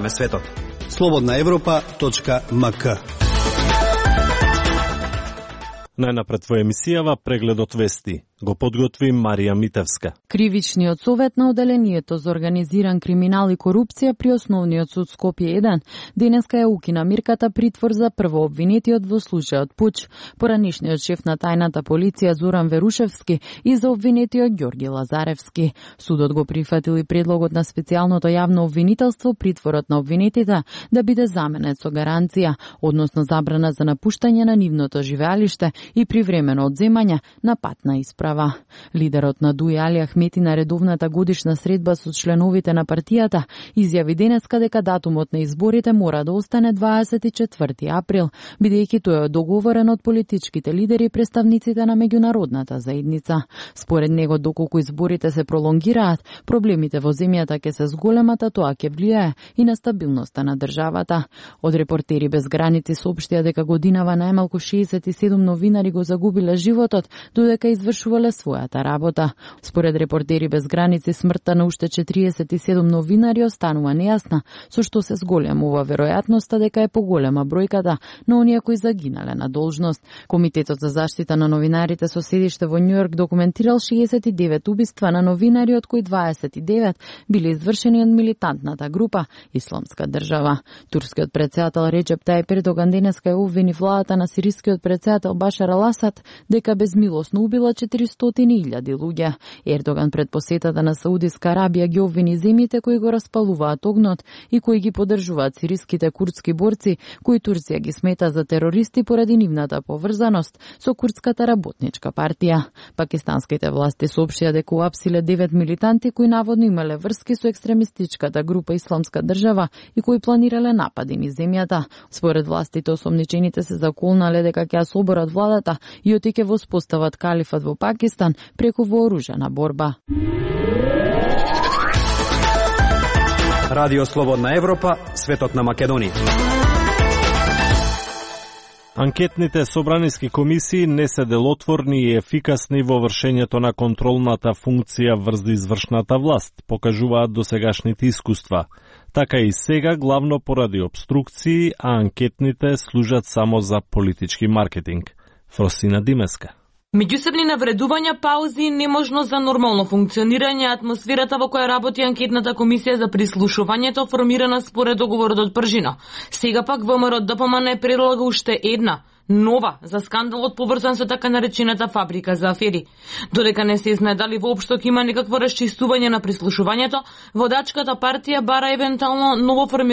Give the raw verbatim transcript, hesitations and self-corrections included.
отвараме светот. слободна европа точка ем ка. Најнапред во емисијава прегледот вести. Го подготви Марија Митевска. Кривичниот совет на Оделението за организиран криминал и корупција при Основниот суд Скопје еден денеска ја укина мирката притвор за првообвинетиот во случајот Пуч, поранишниот шеф на тајната полиција Зоран Верушевски и за обвинетиот Ѓорги Лазаревски. Судот го прифатил и предлогот на специјалното јавно обвинителство притворот на обвинетите да биде заменет со гаранција, односно забрана за напуштање на нивното живеалиште и привремено одземање на патна исправа. Лидерот на ДУИ Али Ахмети на редовната годишна средба со членовите на партијата изјави денеска дека датумот на изборите мора да остане дваесет и четврти април, бидејќи тој е договорен од политичките лидери и представниците на меѓународната заедница. Според него, доколку изборите се пролонгираат, проблемите во земјата ќе се зголемат, а тоа ќе влијае и на стабилноста на државата. Од Репортери без граници соопштија дека годинава најмалку шеесет и седум новинари го загубиле животот додека извршувале својата работа. Според Репортери без граници, смртта на уште четириесет и седум новинари останува нејасна, со што се зголемува веројатноста дека е поголема бројката на оние кои загинале на должност. Комитетот за заштита на новинарите со седиште во Њујорк документирал шеесет и девет убиства на новинари, од кои дваесет и девет биле извршени од милитантната група Исламска држава. Турскиот претседател Реџеп Тајип Ердоган денеска ја обвини владата на сирискиот претседател Башар ал Асад дека безмилосно убила четиристотини илјади луѓе. Ердоган пред посетата на Саудиска Арабија ги обвини земјите кои го распалуваат огнот и кои ги поддржуваат сириските курдски борци, кои Турција ги смета за терористи поради нивната поврзаност со курдската работничка партија. Пакистанските власти соопштија дека уапсиле девет милитанти кои наводно имале врски со екстремистичката група Исламска држава и кои планирале напади низ земјата. Според властите, осомничените се заколнале дека ќе ја соборат владата и оти ќе воспостават калифат во Пакистан преку вооружена борба. Радио Слободна Европа, светот на Македонија. Анкетните собраниски комисии не се делотворни и ефикасни во вршењето на контролната функција врз извршната власт, покажуваат досегашните искуства. Така и сега, главно поради обструкции, а анкетните служат само за политички маркетинг. Фросина Димеска. Меѓусебни навредувања, паузи и неможност за нормално функционирање, атмосферата во која работи анкетната комисија за прислушувањето формирана според договорот од Пржино. Сега пак ВМРО Д П М Н предлага уште една, нова, за скандалот поврзан со така наречената фабрика за афери. Додека не се знае дали воопшто ќе има некакво расчистување на прислушувањето, водачката партија бара евентуално ново формирање